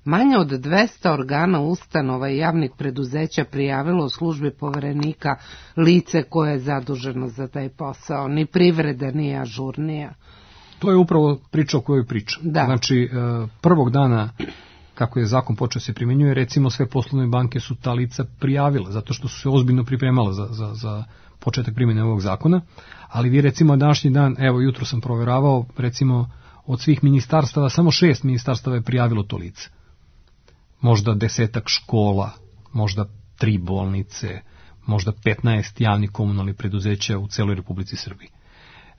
manje od dvesta organa, ustanova i javnih preduzeća prijavilo u službi poverenika lice koje je zaduženo za taj posao. Ni privreda nije ažurnija. To je upravo priča o kojoj pričam. Da. Znači, prvog dana kako je zakon počeo se primjenjuje, recimo sve poslovne banke su ta lica prijavile, zato što su se ozbiljno pripremale za, za, za početak primjene ovog zakona, ali vi recimo današnji dan, evo jutro sam proveravao, recimo od svih ministarstava, samo šest ministarstava je prijavilo to lice. Možda desetak škola, možda tri bolnice, možda petnaest javnih komunalnih preduzeća u celoj Republici Srbiji.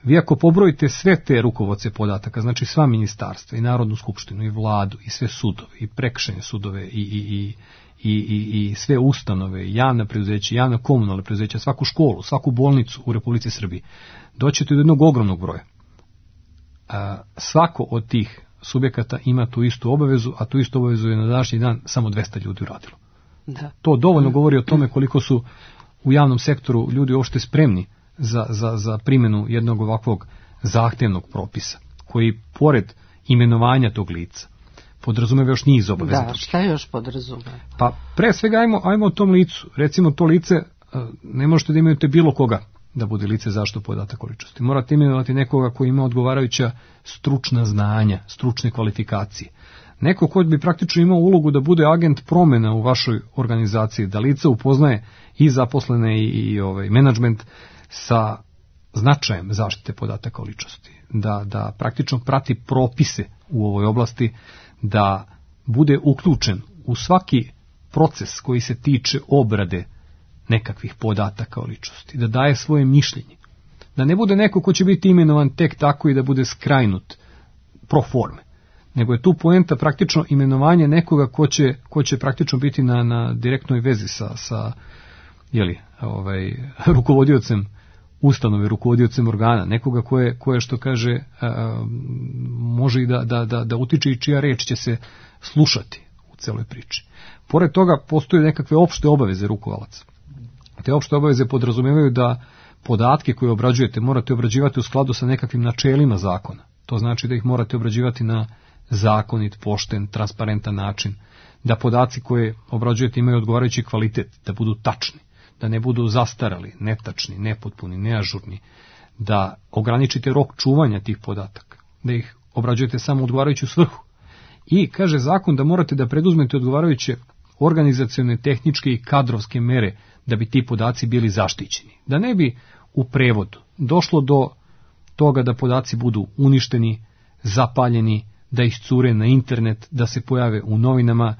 Vi ako pobrojite sve te rukovodce podataka, znači sva ministarstva i Narodnu skupštinu i vladu i sve sudove i prekršajne sudove i, i, i, i, i, i sve ustanove, javna preduzeća, javna komunalna preduzeća, svaku školu, svaku bolnicu u Republici Srbiji, doćete do jednog ogromnog broja. A, svako od tih subjekata ima tu istu obavezu, a tu istu obavezu je na današnji dan samo dvesta ljudi uradilo. Da. To dovoljno govori o tome koliko su u javnom sektoru ljudi uopšte spremni Za, za, za primjenu jednog ovakvog zahtevnog propisa, koji pored imenovanja tog lica podrazumeva još niz obaveza. Da, šta još podrazumeva? Pa pre svega ajmo, ajmo o tom licu. Recimo to lice, ne možete da imenujete bilo koga da bude lice zaštitu podataka o ličnosti. Morate imenovati nekoga koji ima odgovarajuća stručna znanja, stručne kvalifikacije. Neko ko bi praktično imao ulogu da bude agent promjena u vašoj organizaciji, da lice upoznaje i zaposlene i, i ovaj, menadžment, sa značajem zaštite podataka o ličnosti, da, da praktično prati propise u ovoj oblasti, da bude uključen u svaki proces koji se tiče obrade nekakvih podataka o ličnosti, da daje svoje mišljenje, da ne bude neko ko će biti imenovan tek tako i da bude skrajnut pro forme, nego je tu poenta praktično imenovanje nekoga ko će, ko će praktično biti na, na direktnoj vezi sa, sa jeli, ovaj, rukovodiocem ustanove, rukovodiocem organa, nekoga ko je, ko je što kaže, a, može i da, da, da, da utiče i čija reč će se slušati u celoj priči. Pored toga postoje nekakve opšte obaveze rukovalaca. Te opšte obaveze podrazumevaju da podatke koje obrađujete morate obrađivati u skladu sa nekakvim načelima zakona. To znači da ih morate obrađivati na zakonit, pošten, transparentan način, da podaci koje obrađujete imaju odgovarajući kvalitet, da budu tačni, da ne budu zastarali, netačni, nepotpuni, neažurni, da ograničite rok čuvanja tih podataka, da ih obrađujete samo u odgovarajuću svrhu. I kaže zakon da morate da preduzmete odgovarajuće organizacione, tehničke i kadrovske mere da bi ti podaci bili zaštićeni. Da ne bi u prevodu došlo do toga da podaci budu uništeni, zapaljeni, da iscure na internet, da se pojave u novinama,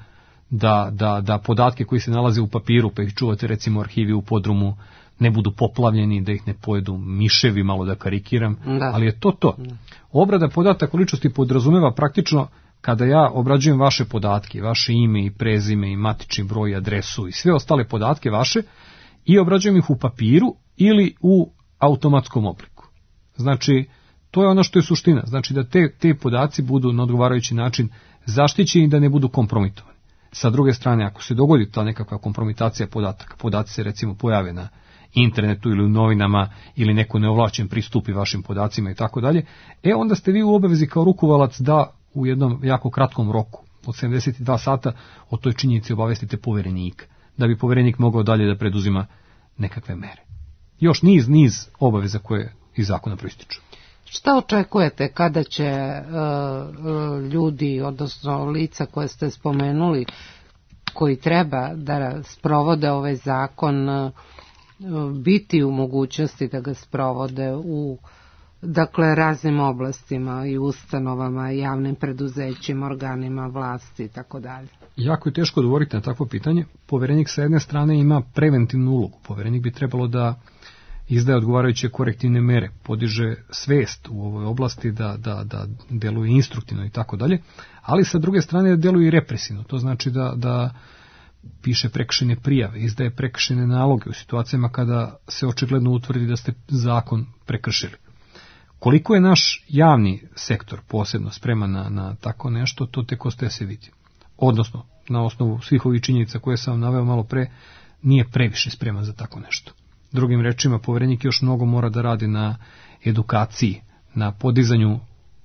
da, da, da podatke koji se nalaze u papiru, pa ih čuvate recimo u arhivi u podrumu, ne budu poplavljeni, da ih ne pojedu miševi, malo da karikiram, da. Ali je to to. Da. Obrada podataka o ličnosti podrazumeva praktično kada ja obrađujem vaše podatke, vaše ime i prezime i matični broj, adresu i sve ostale podatke vaše i obrađujem ih u papiru ili u automatskom obliku. Znači, to je ono što je suština. Znači da te, te podaci budu na odgovarajući način zaštićeni i da ne budu kompromitovani. Sa druge strane, ako se dogodi ta nekakva kompromitacija podataka, podaci se recimo pojave na internetu ili u novinama ili neko neovlašćen pristupi vašim podacima i tako dalje, e onda ste vi u obavezi kao rukovalac da u jednom jako kratkom roku od sedamdeset dva sata o toj činjenici obavestite poverenika, da bi poverenik mogao dalje da preduzima nekakve mere. Još niz, niz obaveza koje iz zakona proističu. Šta očekujete kada će uh, ljudi, odnosno lica koje ste spomenuli, koji treba da sprovode ovaj zakon, uh, biti u mogućnosti da ga sprovode u dakle raznim oblastima i ustanovama, javnim preduzećima, organima vlasti i tako dalje? Jako je teško odgovoriti na takvo pitanje. Poverenik sa jedne strane ima preventivnu ulogu. Poverenik bi trebalo da izdaje odgovarajuće korektivne mere, podiže svest u ovoj oblasti, da, da, da deluje instruktivno i tako dalje, ali sa druge strane deluje i represivno. To znači da, da piše prekršajne prijave, izdaje prekršajne naloge u situacijama kada se očigledno utvrdi da ste zakon prekršili. Koliko je naš javni sektor posebno spreman na, na tako nešto, to tek ostaje se vidi. Odnosno, na osnovu svih ovih činjenica koje sam vam naveo malo pre, nije previše spreman za tako nešto. Drugim rečima, poverenik još mnogo mora da radi na edukaciji, na podizanju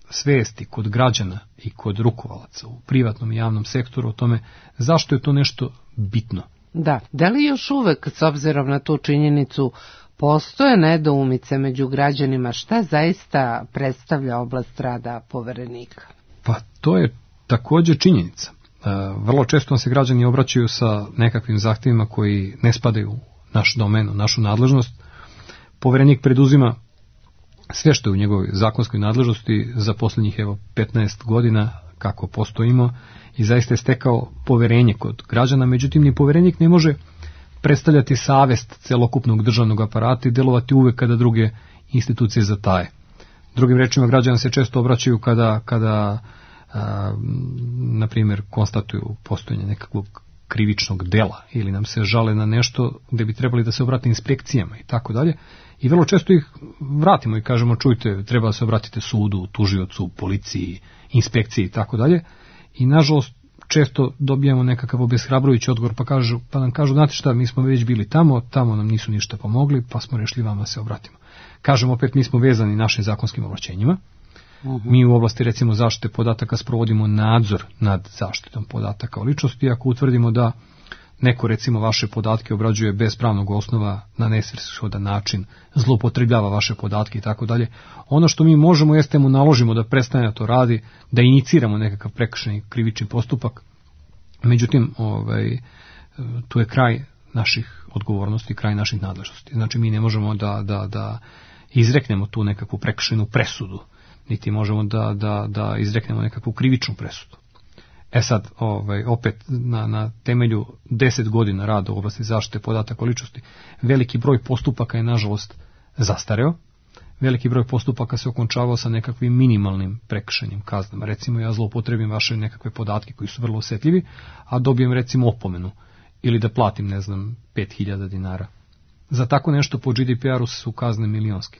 svesti kod građana i kod rukovalaca u privatnom i javnom sektoru o tome zašto je to nešto bitno. Da, da li još uvek, s obzirom na tu činjenicu, postoje nedoumice među građanima šta zaista predstavlja oblast rada poverenika? Pa to je također činjenica. Vrlo često se građani obraćaju sa nekakvim zahtjevima koji ne spadaju u naš domen, u našu nadležnost. Poverenik preduzima sve što je u njegovoj zakonskoj nadležnosti za posljednjih evo petnaest godina kako postojimo i zaista je stekao poverenje kod građana, međutim ni poverenik ne može predstavljati savest celokupnog državnog aparata i delovati uvek kada druge institucije zataje. Drugim rečima, građani se često obraćaju kada, kada a, na primjer, konstatuju postojanje nekakvog krivičnog dela ili nam se žale na nešto gde bi trebali da se obrate inspekcijama i tako dalje. I vrlo često ih vratimo i kažemo, čujte, treba da se obratite sudu, tužiocu, policiji, inspekciji i tako dalje. I nažalost često dobijamo nekakav obeshrabrujući odgovor, pa, kažu, pa nam kažu, znate šta, mi smo već bili tamo, tamo nam nisu ništa pomogli, pa smo rešili vama se obratimo. Kažemo opet, mi smo vezani našim zakonskim ovlašćenjima. Uh-huh. Mi u oblasti recimo zaštite podataka sprovodimo nadzor nad zaštitom podataka o ličnosti. Ako utvrdimo da neko recimo vaše podatke obrađuje bez pravnog osnova na nesvrsishodan način, zloupotrebljava vaše podatke i tako dalje, ono što mi možemo jeste mu naložimo da prestane to radi, da iniciramo nekakav prekršajni krivični postupak. Međutim, ovaj, tu je kraj naših odgovornosti, kraj naših nadležnosti. Znači mi ne možemo da, da, da izreknemo tu nekakvu prekršajnu presudu, niti možemo da, da, da izreknemo nekakvu krivičnu presudu. E sad, ovaj, opet, na, na temelju deset godina rada u oblasti zaštite podataka o ličnosti, veliki broj postupaka je, nažalost, zastareo. Veliki broj postupaka se okončavao sa nekakvim minimalnim prekršajnim kaznama. Recimo, ja zloupotrebim vaše nekakve podatke koji su vrlo osjetljivi, a dobijem, recimo, opomenu ili da platim, ne znam, pet hiljada dinara. Za tako nešto po G D P R-u su kazne milionske.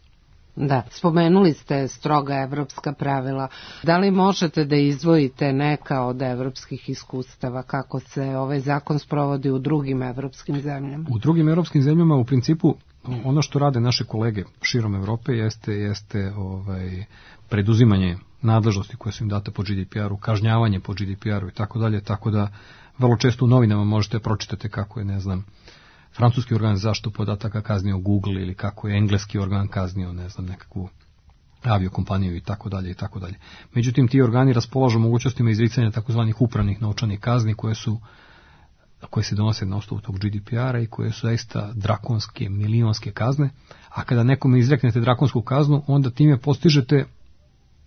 Da, spomenuli ste stroga evropska pravila. Da li možete da izdvojite neka od evropskih iskustava, kako se ovaj zakon sprovodi u drugim evropskim zemljama? U drugim evropskim zemljama u principu ono što rade naše kolege širom Evrope jeste, jeste ovaj, preduzimanje nadležnosti koje su im date po G D P R-u, kažnjavanje po G D P R-u i tako dalje, tako da vrlo često u novinama možete pročitati kako je, ne znam, francuski organ za zaštitu podataka kaznio Google ili kako je engleski organ kaznio, ne znam, nekakvu aviokompaniju i tako dalje i tako dalje. Međutim, ti organi raspolažu mogućnostima izricanja takozvanih upravnih novčanih kazni koje su koje se donose na osnovu tog G D P R-a i koje su zaista drakonske, milionske kazne, a kada nekome izreknete drakonsku kaznu, onda time postižete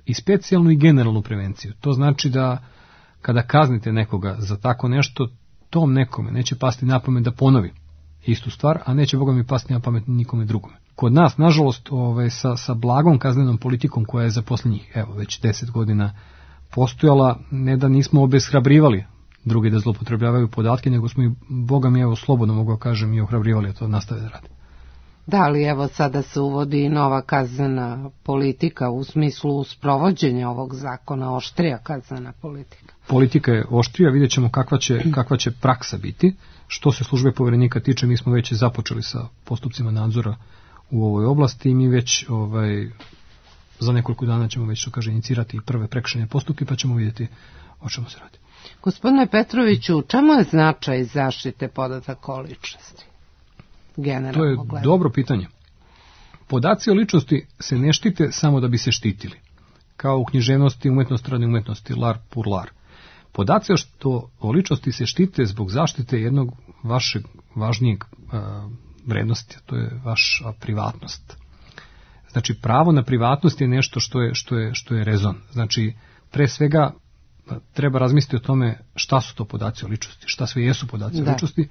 i specijalnu i generalnu prevenciju. To znači da kada kaznite nekoga za tako nešto, tom nekome neće pasti na pamet da ponovi istu stvar, a neće, Boga mi, pasti na pamet nikome drugome. Kod nas, nažalost, ovaj, sa, sa blagom kaznenom politikom koja je za posljednjih, evo, već deset godina postojala, ne da nismo obeshrabrivali drugi da zloupotrebljavaju podatke, nego smo i, Boga mi, evo, slobodno mogu kažem, i ohrabrivali, a to nastave da radi. Da, ali evo sada se uvodi nova kaznena politika u smislu sprovođenja ovog zakona, oštrija kaznena politika. Politika je oštrija, vidjet ćemo kakva će, kakva će praksa biti. Što se službe poverenika tiče, mi smo već započeli sa postupcima nadzora u ovoj oblasti i mi već ovaj, za nekoliko dana ćemo već, što kaže, inicirati prve prekršajne postupke, pa ćemo vidjeti o čemu se radi. Gospodine Petroviću, čemu je značaj zaštite podataka o ličnosti? Generalno to je gledano. Dobro pitanje. Podaci o ličnosti se ne štite samo da bi se štitili. Kao u književnosti, umetnosti, radi umetnosti, lar pour lar. Podaci o, o ličnosti se štite zbog zaštite jednog vašeg važnijeg a, vrednosti, to je vaša privatnost. Znači, pravo na privatnost je nešto što je, što je, što je rezon. Znači, pre svega treba razmisliti o tome šta su to podaci o ličnosti, šta sve jesu podaci da. o ličnosti,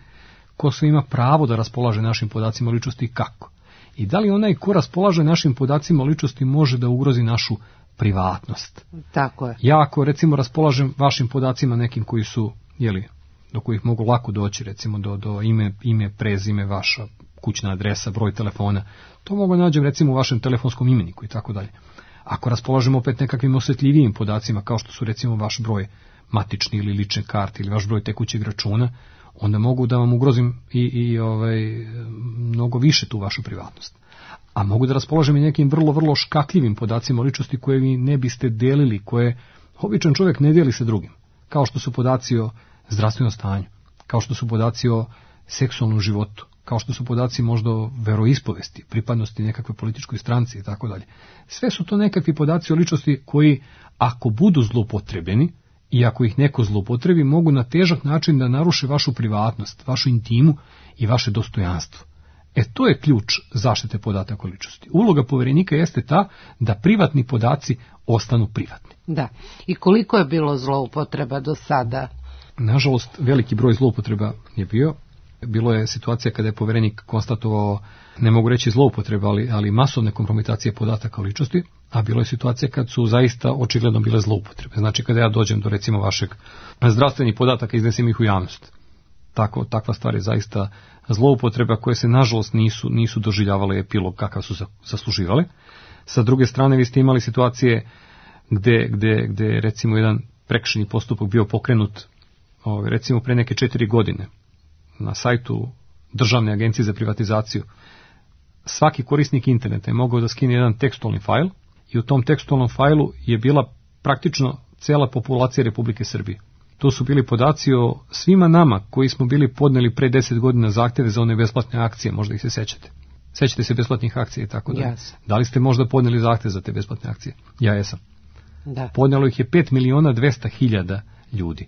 ko sve ima pravo da raspolaže našim podacima o ličnosti i kako. I da li onaj ko raspolaže našim podacima o ličnosti može da ugrozi našu privatnost. Tako je. Ja ako recimo raspolažem vašim podacima nekim koji su, jeli, do kojih mogu lako doći, recimo do, do ime, ime, prezime, vaša kućna adresa, broj telefona, to mogu nađem recimo u vašem telefonskom imeniku i tako dalje. Ako raspolažemo opet nekakvim osjetljivijim podacima, kao što su recimo vaš broj matični ili lične karte ili vaš broj tekućeg računa, onda mogu da vam ugrozim i, i ovaj, mnogo više tu vašu privatnost. A mogu da raspolažem i nekim vrlo, vrlo škakljivim podacima o ličnosti koje vi ne biste delili, koje običan čovjek ne deli sa drugim. Kao što su podaci o zdravstvenom stanju, kao što su podaci o seksualnom životu, kao što su podaci možda o veroispovesti, pripadnosti nekakve političkoj stranci i tako dalje. Sve su to nekakvi podaci o ličnosti koji, ako budu zloupotrebljeni i ako ih neko zloupotrebi, mogu na težak način da naruše vašu privatnost, vašu intimu i vaše dostojanstvo. E to je ključ zaštite podataka o ličnosti. Uloga poverenika jeste ta da privatni podaci ostanu privatni. Da. I koliko je bilo zloupotreba do sada? Nažalost, veliki broj zloupotreba je bio. Bilo je situacija kada je poverenik konstatovao, ne mogu reći zloupotreba, ali, ali masovne kompromitacije podataka o ličnosti, a bilo je situacija kad su zaista očigledno bile zloupotrebe. Znači kada ja dođem do recimo vašeg zdravstvenih podataka i iznesem ih u javnost. Tako, takva stvar je zaista zloupotreba koje se nažalost nisu, nisu doživljavale epilog kakav su zasluživale. Sa druge strane, vi ste imali situacije gde, gde, gde recimo jedan prekršajni postupak bio pokrenut ovaj, recimo pre neke četiri godine na sajtu Državne agencije za privatizaciju. Svaki korisnik interneta je mogao da skine jedan tekstualni fajl i u tom tekstualnom fajlu je bila praktično cela populacija Republike Srbije. To su bili podaci o svima nama koji smo bili podneli pre deset godina zahtjeve za one besplatne akcije, možda ih se sećate. Sećate se besplatnih akcija i tako da. Yes. Da li ste možda podneli zahtjev za te besplatne akcije? Ja jesam. Da. Podnelo ih je pet miliona dvesta hiljada ljudi.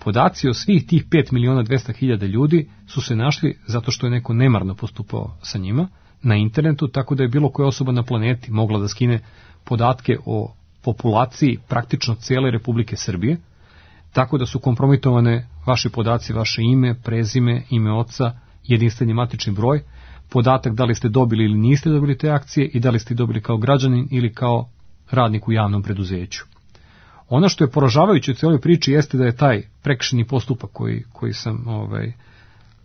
Podaci o svih tih pet miliona dvesta hiljada ljudi su se našli zato što je neko nemarno postupao sa njima na internetu, tako da je bilo koja osoba na planeti mogla da skine podatke o populaciji praktično cijele Republike Srbije, tako da su kompromitovane vaši podaci, vaše ime, prezime, ime oca, jedinstveni matični broj, podatak da li ste dobili ili niste dobili te akcije i da li ste dobili kao građanin ili kao radnik u javnom preduzeću. Ono što je poražavajuće u cijeloj priči jeste da je taj prekršajni postupak koji, koji sam, ovaj,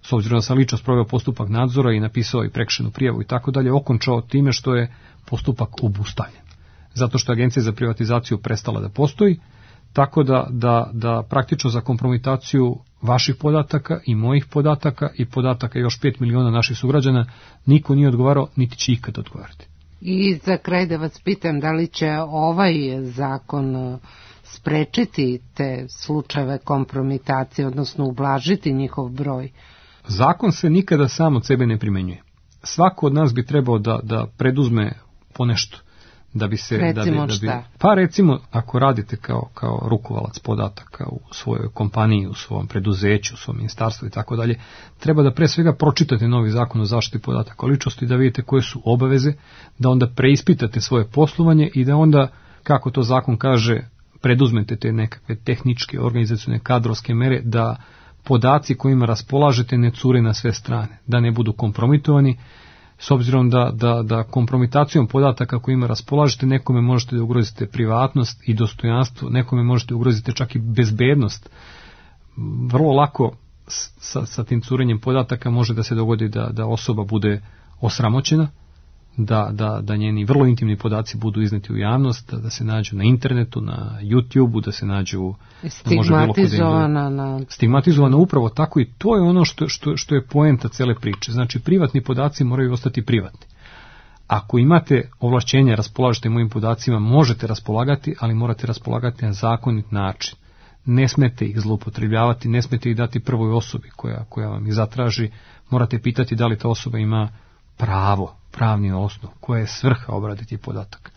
s obzirom da sam lično sproveo postupak nadzora i napisao i prekršajnu prijavu i tako dalje, okončao time što je postupak obustavljen. Zato što je Agencija za privatizaciju prestala da postoji, tako da, da, da praktično za kompromitaciju vaših podataka i mojih podataka i podataka još pet miliona naših sugrađana niko nije odgovarao, niti će ikad odgovarati. I za kraj da vas pitam, da li će ovaj zakon sprečiti te slučajeve kompromitacije, odnosno ublažiti njihov broj? Zakon se nikada sam od sebe ne primenjuje. Svako od nas bi trebao da, da preduzme ponešto. Da bi se, recimo da bi, da bi, šta? Pa recimo, ako radite kao, kao rukovalac podataka u svojoj kompaniji, u svom preduzeću, u svom ministarstvu i tako dalje, treba da pre svega pročitate novi zakon o zaštiti podataka o ličnosti, da vidite koje su obaveze, da onda preispitate svoje poslovanje i da onda, kako to zakon kaže, preduzmete te nekakve tehničke, organizacione, kadrovske mere, da podaci kojima raspolažete ne cure na sve strane, da ne budu kompromitovani, s obzirom da, da, da kompromitacijom podataka kojima raspolažete nekome možete da ugrozite privatnost i dostojanstvo, nekome možete ugroziti čak i bezbednost. Vrlo lako sa, sa tim curenjem podataka može da se dogodi da, da osoba bude osramoćena, da, da, da njeni vrlo intimni podaci budu izneti u javnost, da, da se nađu na internetu, na YouTubeu, da se nađu stigmatizovana, na... stigmatizovana upravo tako, i to je ono što, što, što je poenta cele priče. Znači, privatni podaci moraju ostati privatni. Ako imate ovlašćenja, raspolažete mojim podacima, možete raspolagati, ali morate raspolagati na zakonit način. Ne smete ih zloupotrebljavati, ne smete ih dati prvoj osobi koja, koja vam ih zatraži. Morate pitati da li ta osoba ima pravo, pravni osnov, koja je svrha obrade tih podataka.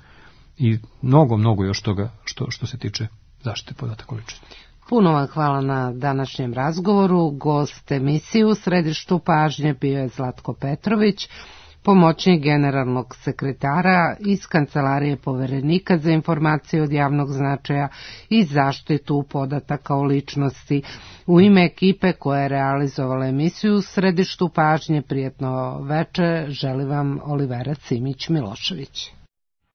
I mnogo, mnogo još toga što, što se tiče zaštite podataka o ličnosti. Puno vam hvala na današnjem razgovoru. Gost emisije u središtu pažnje bio je Zlatko Petrović, pomoćnik generalnog sekretara iz Kancelarije Poverenika za informacije od javnog značaja i zaštitu podataka o ličnosti. U ime ekipe koja je realizovala emisiju u središtu pažnje, prijetno veče, želi vam Olivera Cimić Milošević.